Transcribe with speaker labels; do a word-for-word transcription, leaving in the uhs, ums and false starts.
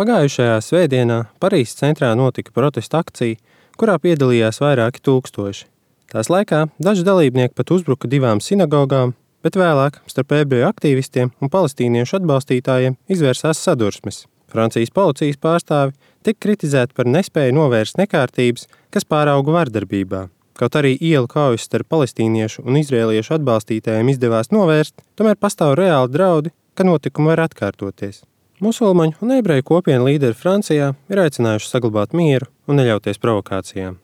Speaker 1: Pagājušajā svētdienā Parīzes centrā notika protesta akcija, kurā piedalījās vairāki tūkstoši. Tās laikā daži dalībnieki pat uzbruka divām sinagogām, bet vēlāk starp ebreju aktīvistiem un palestīniešu atbalstītājiem izvērsās sadursmes. Francijas policijas pārstāvi tika kritizēti par nespēju novērst nekārtības, kas pārauga vardarbībā. Kaut arī ielu kaujas starp palestīniešu un izrēliešu atbalstītājiem izdevās novērst, tomēr pastāv reāli draudi, ka notikumi var atkārtoties. Musulmaņu un ebreju kopienu līderi Francijā ir aicinājuši saglabāt mieru un neļauties provokācijām.